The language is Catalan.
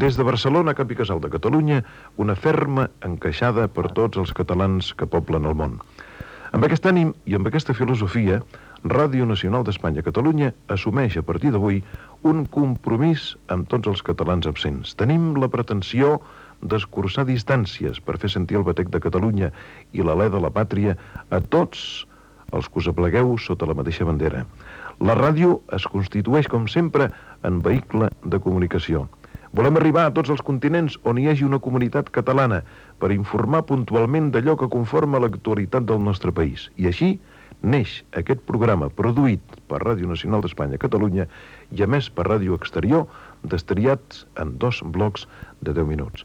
Des de Barcelona, cap i casal de Catalunya, una ferma encaixada per tots els catalans que poblen el món. Amb aquest ànim i amb aquesta filosofia, Ràdio Nacional d'Espanya Catalunya assumeix a partir d'avui un compromís amb tots els catalans absents. Tenim la pretensió d'escurçar distàncies per fer sentir el batec de Catalunya i l'alè de la pàtria a tots els que us aplegueu sota la mateixa bandera. La ràdio es constitueix, com sempre, en vehicle de comunicació. Volem arribar a tots els continents on hi hagi una comunitat catalana per informar puntualment d'allò que conforma l'actualitat del nostre país. I així neix aquest programa produït per Ràdio Nacional d'Espanya Catalunya i a més per Ràdio Exterior, destriats en 2 blocs de 10 minuts.